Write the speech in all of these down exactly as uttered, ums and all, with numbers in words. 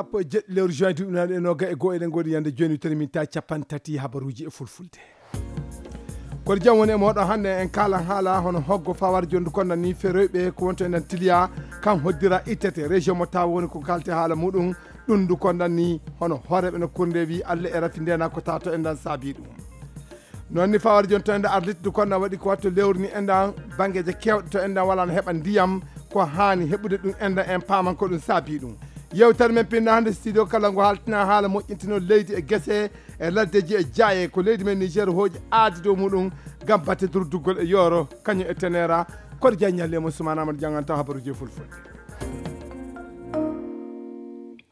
Sappo e jeɗɗi lewru juin duuɓi naaɗi e noga e goo, eɗen ngoodi yande jooni, witani min ta capanɗe tati habaruuji e fulfulde. Kono jam woni e mooɗon. Hannde en kaalan haala hono hoggo fawar jondu konda ni feroyɓe ko wonto e nder tiliya, kan hoddira ittete. Région mo tawa woni ko kalti haala muɗum, ɗum ndu konda ni hono hooreɓe nokkuure nde wi Allah e rafi ndena ko tato e ndan saabi ɗum. Noon ni fawar jonto e nda arlit ndu konda waɗi ko watto lewru ni e ndan banngeeje kewɗe to e ndan wala no heɓa ndiyam ko haani heɓude ɗum e ndan en paaman ko ɗum saabi ɗum. Yewtere men pinna hannde studio kala ngo haltina haala moƴƴintino leydi e gese e laddeji e jaaye ko leydi men Niger hooƴi aadi dow muɗum ngam batte durduggol e yooro kañum e tenera. Koɗo jaññalle mo Soumana Amadou janganta habaruji e fulfulde.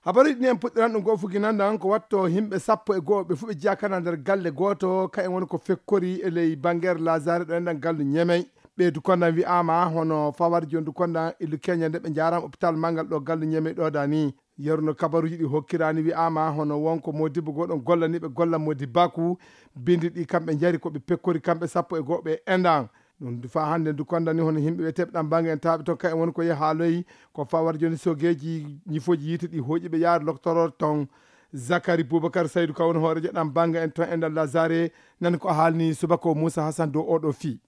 Habaruji ɗi en puɗɗiran ɗum goo fugi nandan ko watto yimɓe sappo e goo ɓe fuu ɓe jiyakana nder galle gooto ka en woni ko fekkori e ley bangere lazare ɗo enɗan gallu ñemey. Ɓeydu kondan wi'ama hono fawar jondu kondan illu keña nde ɓe njaram hôpital mangal ɗo gallu ñemey ɗo dani. Yeru no kabaruji ɗi hokkirani wi'ama hono wonko modibbo goɗon gollani ɓe golla modibbaku bindi ɗi kamɓe njari ko ɓe pekkori kamɓe sappo e goɓe endan. Ɗum du fa hannde ndu konda ni hono yimɓe wiyeteɓe ɗan banga en tawaɓe ton ka en woni ko yeha haaloyi ko fawar joni sogeji ñifoji yiite ɗi hoƴi ɓe yaade loktoror ton. Zakari Boubacar Saydou ka woni hoorejo ɗan banga en ton e nder lazare. Nani ko haalni subako Moussa Hassan dow oɗo fii.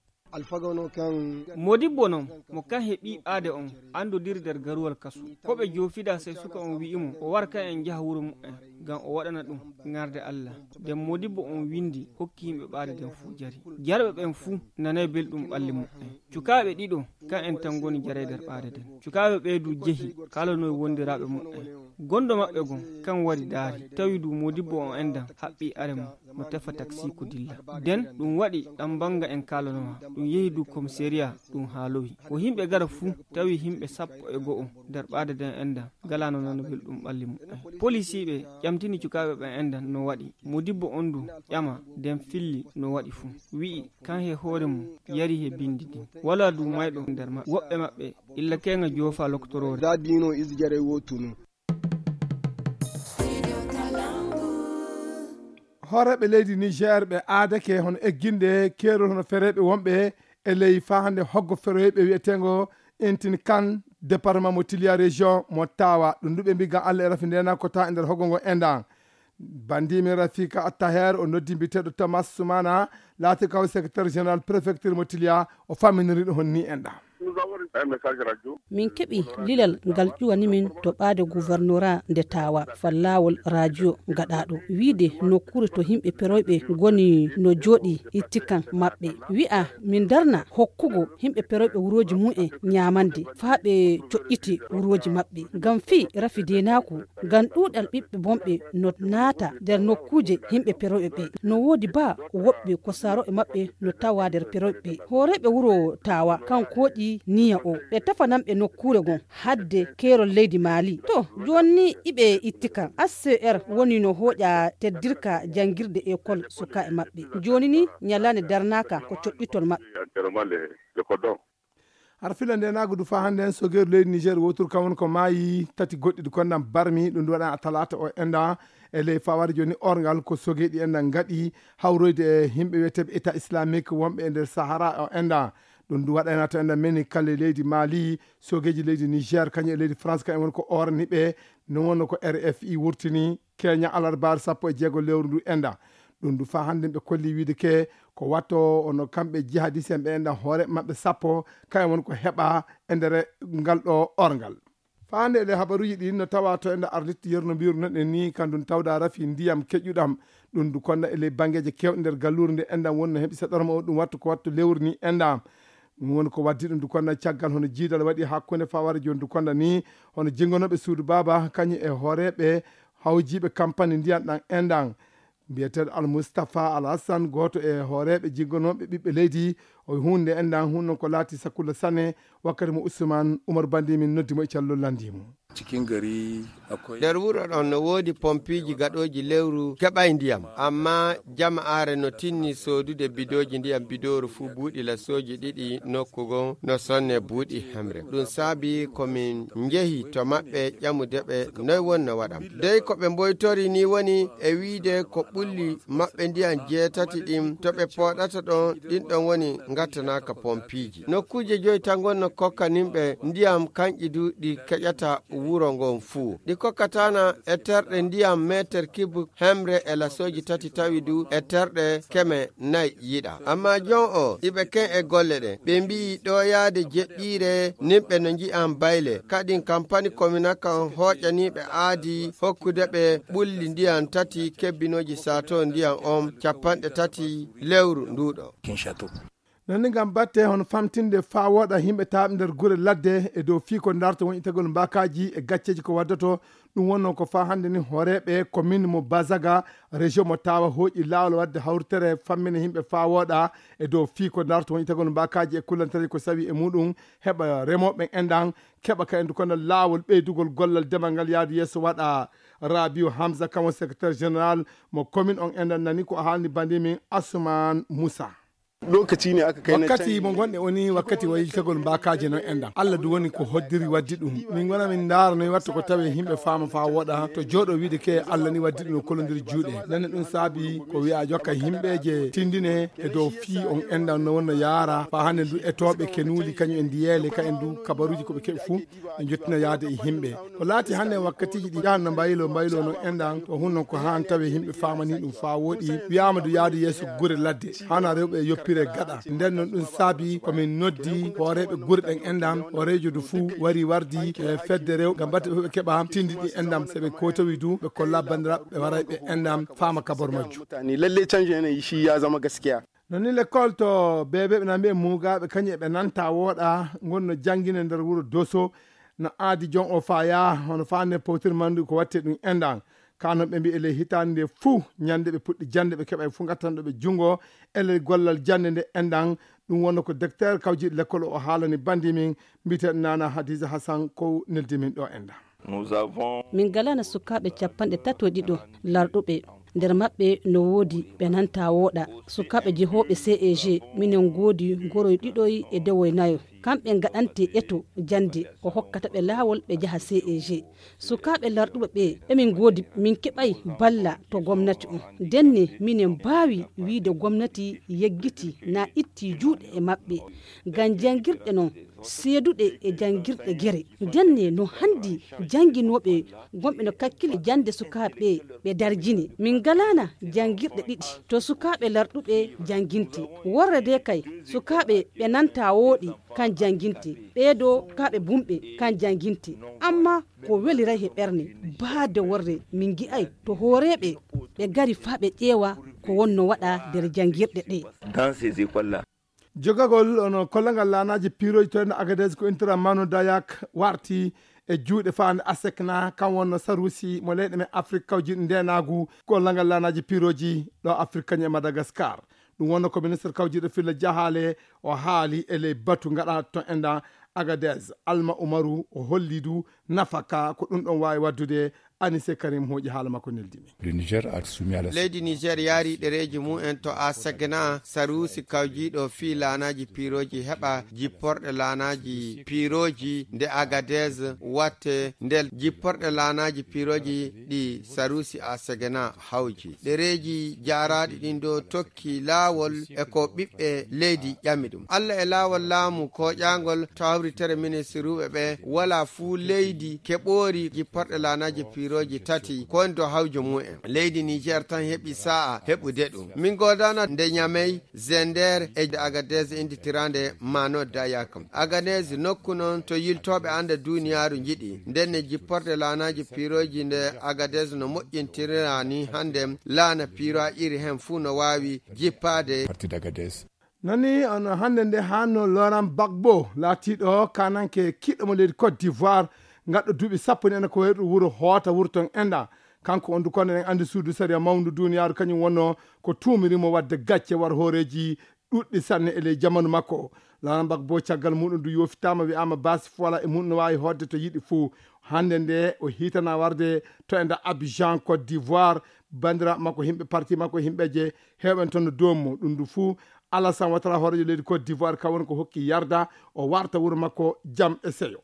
Modibbo noon mo kan heɓi ɓaade on anndodiri nder garuwal kasu. Ko ɓe joofida sey suka on wi'i mo o war ka en njaha wuro mu'en ngam o waɗana ɗum ŋarde Allah. Nden modibbo on windi hokki yimɓe ɓaade nden fuu jari. Jarɓe ɓen fuu nanay belɗum ɓalli mu'en. Cukaaɓe ɗiɗo kan en tan ngoni jaray nder ɓaade nden. Cukaaɓe ɓee du jehi kaalanoy wondiraaɓe mu'en. Gondo maɓɓe gon kan wari daari tawi du modibbo on endan haɓɓi are mum no tefa taksiiku dilla. Nden ɗum waɗi ɗan banga en kaalanowa ɗum yehi du komiseriya ɗum haalowi. Ko yimɓe gara fuu tawi yimɓe sappo e go'o nder ɓaade nden endan. Ngalaa no nana belɗum ɓalli mu'en. Polisiiɓe ƴamtini cukaaɓe ɓen endan no waɗi. Modibbo on du ƴama nden filli no waɗi fuu. Wi'i kan he hoore mum yari he bindi din. Walaa du mayɗo nder maɓɓe. Woɓɓe maɓɓe illa keŋa joofa lokotoroore. Za dino izi jaray wo tunu. Hooreeɓe leydi Niger ɓe aadake hono egginde keerol hono fereeɓe wonɓe e ley faa hannde hoggo feroyɓe wi'eteengo Intin Kan, département mo Tiliya, région mo Tawa. Ɗum du ɓe mbi gam Allah e rafi ndena ko tawa e nder hoggo ngo endan. Bandimi Rafika Attaher o noddi mbiteeɗo Thomas Soumana, laati kaw secrétaire général préfecture mo Tiliya, o famminiri ɗum honni endan. Min keɓi lilal ngal ƴuwani min to ɓaade gouvernorat nde Tawa, fal laawol radio gaɗaaɗo, wiide nokkuure to yimɓe peroyɓe ngoni no jooɗi ittikan maɓɓe. Wi'a min darna hokkugo yimɓe peroyɓe wurooji mum en ñaamande faa ɓe coƴƴiti wurooji maɓɓe. Ngam fii rafi deenaaku, ngam ɗuuɗal ɓiɓɓe bonɓe no naata nder nokkuuje yimɓe peroyɓe ɓe. No woodi baa woɓɓe ko saaro'e maɓɓe no tawa nder peroyɓe ɓe. Hooreeɓe wuro Tawa kan kooƴi niya o. Ɓe tefanan ɓe nokkuure gon hadde keerol leydi Maali. To, jooni ni iɓe itti kan. H C R woni no hooƴa teddirka janngirde ekol sukaaɓe maɓɓe. Jooni ni ñalaande darnaaka ko coƴƴitol maɓɓe. Har fila nde naagu du faa hannde en sogeeru leydi Niger wootur kam woni ko maayi tati goɗɗi du konnan barmi ɗum du waɗa a talaata o enɗa e ley fawari jooni orngal ko sogeeɗi enɗa ngaɗi hawroyde e yimɓe wiyeteeɓe État islamique wonɓe e nder Sahara o enɗa. Ɗum du waɗayna to enɗa meni kala e leydi Mali, sogeeji leydi Niger kañum e leydi France kañum woni ko orani ɓe. No wonno ko R F I wurtini keña alarbaare sappo e jeego lewru ndu enɗa. Ɗum du faa hannde ɓe kolli wiide ke ko watto ono kamɓe jihadis en ɓe enɗa hoore maɓɓe sappo kañum woni ko heɓa e nder ngal ɗo orngal. Faa hannde e ɗe habaruuji ɗin no tawa to enɗa arlitti yerno mbiru noɗen ni kandum tawda rafi ndiyam keƴƴuɗam. Ɗum du konda e ley banngeeje kewɗe nder galluure nde enɗam woni no heɓi saɗorma o ɗum wattu ko wattu lewru ni enɗam. Ɗum woni ko waddi ɗum du konda caggal hono jiidal waɗi hakkunde faware jooni du konda ni hono jingonooɓe suudu baaba kañum e hooreeɓe hawjiiɓe kampani ndiyam ɗam enɗam. Mbiyeteeɗo Al Mustapha Al Hassan gooto e hooreeɓe jiggonooɓe ɓiɓɓe leydi o huunde enɗan hunno ko laati sakulla sane. Wakkati mo Usman Umar Bandi min noddi mo e callol lanndi mo. Cikin gari akwai nder wuro ɗon no woodi pompiiji gaɗooji lewru keɓay ndiyam amma jama'aare no tinni soodude bidooji ndiyam bidooru fuu buuɗi lassooji ɗiɗi nokku gon no sonne buuɗi hemre ɗum saabi ko min njehi to maɓɓe ƴamude ɓe noy wonno waɗam dey ko ɓe mboytori ni woni e wiide ko ɓulli maɓɓe ndiyan jeetati ɗin to ɓe pooɗata ɗon ɗin ɗon woni ngattanaaka pompiiji nokkuuje joyi tan ngonno kokkaninɓe ndiyam kanƴi du ɗi keƴata. wuro ngon fuu. Ɗi kokkataana e terɗe ndiyam meeter kibu hemre e lasooji tati tawi du e terɗe keme nayi yiɗa. Amma jon o iɓe ken e golle ɗe. Ɓe mbiyi ɗo yaade jeɗɗiire nimɓe no nji'an bayle. Kadin kampani komina kan hooƴaniiɓe aadi hokkude ɓe ɓulli ndiyam tati kebbinooji sato ndiyam on capanɗe tati lewru nduuɗo. Nani ngam batte hono famtinde faa wooɗa yimɓe taaɓe nder gure ladde e dow fii ko ndarta won itagol mbaakaaji e gacceeji ko waddoto. Ɗum wonno ko faa hannde ni hooreeɓe commune mo Bazaga, région mo Tawa hooƴi laawol waɗde hawritere fammina yimɓe faa wooɗa e dow fii ko ndarta won itagol mbaakaaji e kullantareeji ko sawi e muɗum, heɓa remooɓe enɗan keɓa ka endu kono laawol ɓeydugol gollal demal ngal yaadu yeeso waɗa. Rabiu Hamza kamo secrétaire général mo commune on enɗan nani ko haalni bandi min Asuman Moussa. Lokaci ne aka kai na wakkati mo gonɗe oni wakkati wayiltagol mbakaji non enɗan Allah du woni ko hoddiri waddi ɗum. Min gona min ndaara noy watta ko tawe yimɓe faama fa woɗa to jooɗo wiide ke Allah ni waddi ɗum no kolondir juuɗe. Nane ɗum saabi ko wiya jokka yimɓeje tindine e dow fii on enɗan no wonno yaara fa hande ndu etoɓe kenuuli kañum e ndiyeele ka en du kabaruji koɓe keɓi fuu ɓe jottina yaade e yimɓe. Ko laati hannde wakkatiiji ɗi yahanno mbaylo mbaylo non enɗan to hunno ko haan tawi yimɓe faamani ɗum faa woɗi. Wiyaama du yaadu yeeso gure ladde hana rewɓe yoppire gaɗa. Nden non ɗum saabi komin noddi hooreeɓe gure ɗen enɗan hooreejo du fuu wari wardi e fedde rew ngam batte ɓe keɓa tindi ɗi enɗan se ɓe kotowi du ɓe kolla bandiraɓe ɓe waray ɓe enɗan faama kabor majju. Mutane lalle canjin yanayi shi ya zama gaskiya. No ni lekkol to bebeɓe nan mbiye mugaɓe kañum eɓe nanta wooɗa gonno janngine nder wuro doso. No aadi jon o faya hono fande powtir mandu ko watte ɗum enɗan. Kanon ɓe mbiye ley hitande nde fuu ñande ɓe puɗɗi jande ɓe keɓa e fuu gattanɗo ɓe junngo e ley gollal jande nde enɗan. Ɗum wonno ko docteur kawjiɗo lekkol o haalani bandi min mbiten nana hadisa hasan ko neldi min ɗo enɗan. Min galana sukaaɓe capanɗe tato ɗiɗo larɗuɓe. Nder maɓɓe no woodi ɓe nanta wooɗa sukaaɓe jehooɓe ceg. Minen ngoodi goroy ɗiɗoy e dewoy nayo. Kamɓe ngaɗante eto jannde ko hokkata ɓe laawol ɓe njaha ceg. Sukaaɓe larɗuɓe ɓe emin ngoodi min keɓay balla to gomnati on. Ndenne minen mbaawi wiide gomnati yeggiti na itti juuɗe e maɓɓe ngam janngirɗe non seeduɗe e janngirɗe gere. Ndenne no hanndi jannginooɓe gonɓe no kakkile jannde sukaaɓe ɓe ɓe darjini. Min ngalaana janngirɗe ɗiɗi to sukaaɓe larɗuɓe jannginte. Worre de kay sukaaɓe ɓe nanta wooɗi kan jannginte. Ɓeedo kaaɓe bumɓe kan jannginte. Amma ko weliray he ɓerne baade worre min ngi'ay to hooreeɓe ɓe ngari faa ɓe ƴeewa ko wonno waɗa nder janngirɗe ɗe. Jogagol ono kollagal laanaaji piirooji to en Agadez ko intira Manu Dayak warti e juuɗe faande asekna kam wonno saruusi mo leyɗe men Afrik kawjiiɗo ndeenaagu kollagal laanaaji piirooji ɗo Afrik kañum e Madagaskar. Ɗum wonno ko ministre kawjiiɗo filla jahaale o haali e ley batu ngaɗa to enɗan Agadez. Alma Umaru o holli du nafaka ko ɗum ɗon waawi waddude. Anise Karim hooƴi haala makko neldi min. Leydi Niger yaari ɗereeji mum en to Asegna saruusi kawjiiɗo fii laanaaji piirooji heɓa jipporɗe laanaaji piirooji nde Agadez watte ndel jipporɗe laanaaji piirooji ɗi saruusi Asegna hawji. Ɗereeji jaaraaɗi ɗin ɗo tokki laawol e ko ɓiɓɓe leydi ƴami ɗum. Allah e laawol laamu kooƴaangol to hawritere ministiruuɓe ɓe wala fuu leydi keɓoori jipporɗe laanaaji piirooji tati ko woni to hawjo mum en. Leydi Niger tan heɓi saa'a heɓude ɗum. Min goodana nde Ñamey, Zender e Agadez innditiraande Mano Dayak. Agadez nokku non to yiltooɓe annda duuniyaaru njiɗi. Ndenne jipporɗe laanaaji piirooji nde Agadez no moƴƴintirira ni hannde laana piiro a iri hen fuu no waawi jippaade. Nani on hannde nde hanno Laurent Gbagbo laatiiɗo kananke kiɗɗo mo leydi Côte d'Ivoire ngaɗɗo duuɓi sappo ni ene ko wayru wuro hoota wuro ton enɗa. Kanko on du kono en anndi suudu sariya mawndu duuniyaaru kañum wonno ko tuumiri mo waɗde gacce war hooreeji ɗuɗɗi sanne e ley jamanu makko. Laurent Gbagbo caggal muɗum du yoofitaama wi'aama baasi fola e muɗum no waawi hootde to yiɗi fuu. Hannde nde o hiitana warde to enɗa Abidjan Côte d'Ivoire. Banndiraaɓe makko yimɓe parti makko yimɓeje heewɓe en toon no doom mo ɗum du fuu. Alassane Ouattara hooreejo leydi Côte d'Ivoire ka woni ko hokki yarda o warta wuro makko jam e seyo.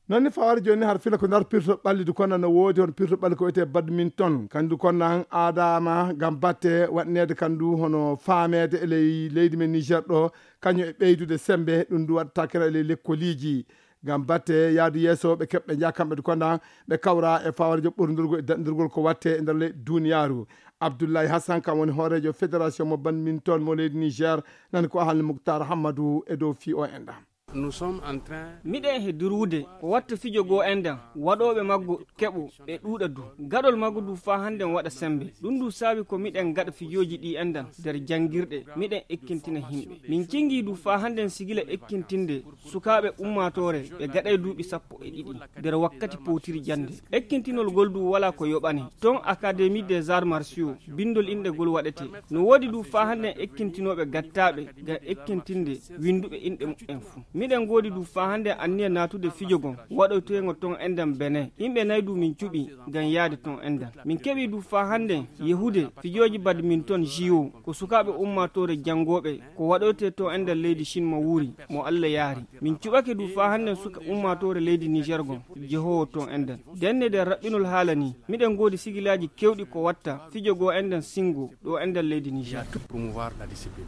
Noon ni fawaade jooni ni har fila ko nder pirto ɓalli du konna no woodi hono pirto ɓalli ko wiyetee badminton. Kandu konna an aadaama ngam batte waɗneede kandu hono faameede e ley leydi men Niger ɗo, kañum e ɓeydude sembe, ɗum du waɗata kira e ley lekkoliiji. Ngam batte yaadu yeeso ɓe keɓɓe njaha kamɓe du konna ɓe kawra e fawaade joɓɓorndirgol e daɗndirgol ko watte e nder leydi duniyaaru. Abdoulaye Hassan kam woni hooreejo fédération mo badminton mo leydi Niger, nani ko Ahal Muktar Hammadou e dow fii o enɗam. Nous sommes en train Miɗen he durwude ko watta fijo goo enɗan, waɗooɓe maggo keɓo ɓe ɗuuɗa du. Gaɗol maggo du faa hannden waɗa sembe. Ɗum du saabi ko miɗen gaɗa fijooji ɗi enɗan nder janngirɗe, miɗen ekkintina himɓe. Min cinngii du faa hannden sigila ekkintinde sukaaɓe ummaatoore ɓe gaɗay duuɓi sappo e ɗiɗi nder wakkati powtiri jannde. Ekkintinol ngol du walaa ko yoɓani. Ton Académie des Arts Martiaux, binndol inɗe ngol waɗetee. No woodi du faa hannden ekkintinooɓe gattaaɓe ngam ekkintinde winnduɓe inɗe muɓɓen fuu. Miɗen ngoodi du faa hannden anniya naatude fijo ngon waɗoyteengo ton enɗan Benin. Yimɓe nay du min cuɓii ngam yaade ton enɗan. Min keɓii du faa hannden yehude fijooji badminton J O ko sukaaɓe ummaatoore janngooɓe ko waɗoytee ton enɗan leydi Cin mo wuuri, mo Alla yaari. Min cuɓake du faa hannden suka ummaatoore leydi Niger ngon jehoowo ton enɗan. Ndenne nder raɓɓinol haala nii, miɗen ngoodi sigilaaji keewɗi ko watta fijo goo enɗan singo ɗo enɗan leydi Niger. Tout promouvoir la discipline.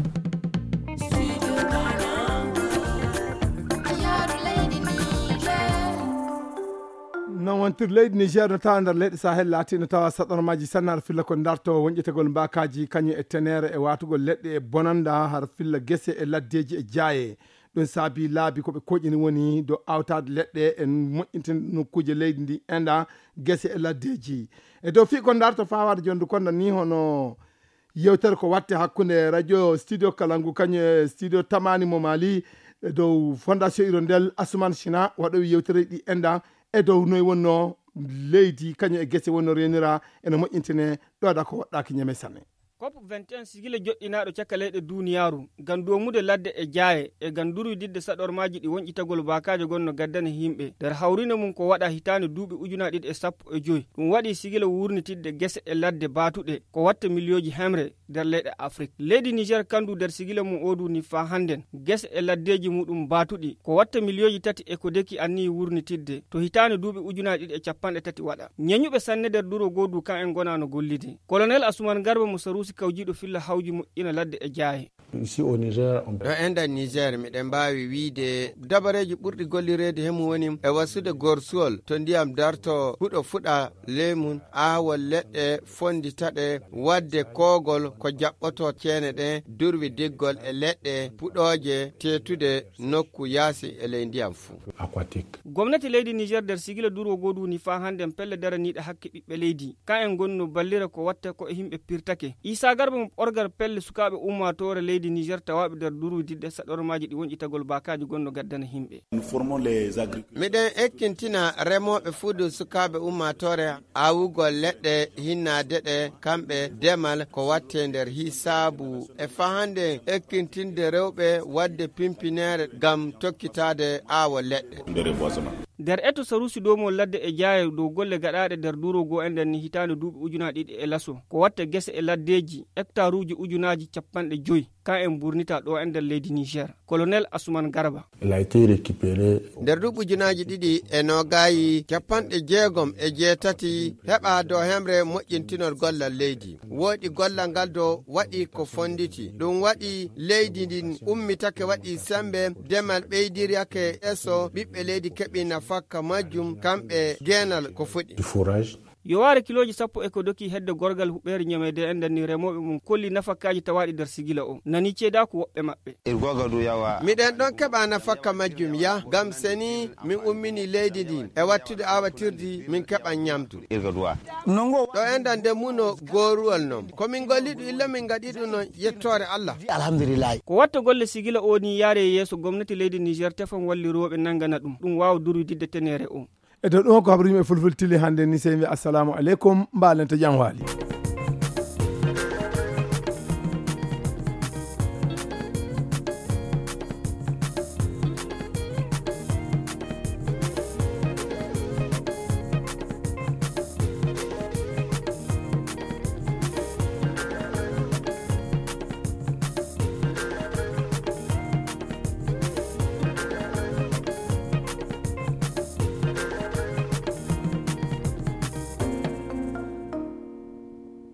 Noon wontir leydi Niger no tawa nder leyɗe Sahel laati no tawa saɗormaaji sanne har filla ko darto wonƴetagol mbaakaaji kañum e teneere e waatugol leɗɗe e bonanda har filla gese e laddeeji e jaaye. Ɗum saabi laabi ko ɓe koƴini woni dow awtaade leɗɗe e moƴƴintin nokkuuje leydi ndi enɗa gese e laddeeji. E dow fii ko darto fawaade jondu konda ni hono yewtere ko watte hakkunde radio studio Kalangu kañum e studio Tamani mo Mali e dow fondation Hirondelle Asuman China waɗowi yewtere ɗi enɗa e dow noy wonno leydi kañum e gese wonno renira ene moƴƴintine ɗoɗa ko waɗɗaki ñeme sanne. COP vingt et un sigila joɗɗinaaɗo caka leyɗe duniyaaru ngam doomude ladde e jaaye e ngam durwididde saɗormaaji ɗi wonƴitagol baakaaje gonno gaddana yimɓe nder hawrinde mum ko waɗa hitaande duuɓi ujunaaji ɗiɗi e sappo e joy. Ɗum waɗi sigila wurnitidde gese e ladde baatuɗe ko watta miliyooji hemre nder leyɗe Afrik. Leydi Niger kandu nder sigila mum odu ni faa hannden gese e laddeeji muɗum baatuɗi ko watta miliyooji tati e ko deki anniyi wurnitidde to hitaande duuɓi ujunaaji ɗiɗi e capanɗe tati waɗa. Ñeñuɓe sanne nder duro goodu kan en ngonaa no gollide. Colonel Asuman Garba mo Saruusi kawjiiɗo filla hawji moƴƴina ladde e jaaye. Ici au Niger, on Ɗo enɗan Niger miɗen mbaawi wiide dabareeji ɓurɗi gollireede he mum woni e wasude gorsuwol to ndiyam darto huɗo fuɗa ley mum, aawol leɗɗe fonditaɗe, waɗde koogol ko jaɓɓoto ceene ɗen, durwi diggol e leɗɗe puɗooje teetude nokku yaasi e ley ndiyam fuu. Aquatique. Gomnati leydi Niger nder sigila durwo goodu ni faa hannden pelle daraniiɗe hakke ɓiɓɓe leydi. Kan en ngonno ballira ko watta ko e yimɓe pirtake. Isa Garba mo ɓorgal pelle sukaaɓe ummaatoore leydi Niger tawaaɓe nder durwi didde saɗormaaji ɗi wonƴitagol baakaaji gonno gaddana yimɓe. Nous formons les agriculteurs. Miɗen ekkintina remooɓe fuu du sukaaɓe ummaatoore aawugol leɗɗe hinnaade ɗe kamɓe demal ko watte nder hisaabu e fahande ekkintinde rewɓe waɗde pimpineere ngam tokkitaade aawo leɗɗe. Nder eto Sarusi Domo ladde e jaaye dow golle gaɗaaɗe nder duuro goo enɗan ni hitaande duuɓi ujunaaji ɗiɗi e laso ko watta gese e laddeeji hektaruuji ujunaaji capanɗe joy kan en burnita ɗo enɗan leydi Niger. Colonel Asuman Garba. Elle a été récupérée. Nder duuɓi ujunaaji ɗiɗi e noogaayi capanɗe jeegom e jeetati heɓa dow hemre moƴƴintinol gollal leydi. Wooɗi gollal ngal dow waɗi ko fonditi. Ɗum waɗi leydi ndin ummitake waɗi sembe, demal ɓeydirake eso, ɓiɓɓe leydi keɓi nafakka majjum, kamɓe geenal ko fuɗi. Du fourrage. Yowaare kilooji sappo e ko doki hedde gorgal huɓeere ñameede enɗan ni remooɓe mum kolli nafakaaji tawaaɗi nder sigila o. Nani ceedaaku woɓɓe maɓɓe. Miɗen ɗon keɓa nafakka majjum ya, ngam seni min ummini leydi ndin e wattude awatirdi min keɓa ñamdu. Ɗo enɗan nde muno gooruwal non. Ko min golli ɗum illa min ngaɗi ɗum non yettoore Allah. Alhamdulillahi. Ko watta golle sigila o ni yaare yeeso gomnati leydi Niger tefan wallirooɓe nangana ɗum, ɗum waawa durwididde teneere o. E dow ɗum ko habru yimɓe fulful tili hannde ni sey mbi assalamu aleykum, mbaalente jam waali.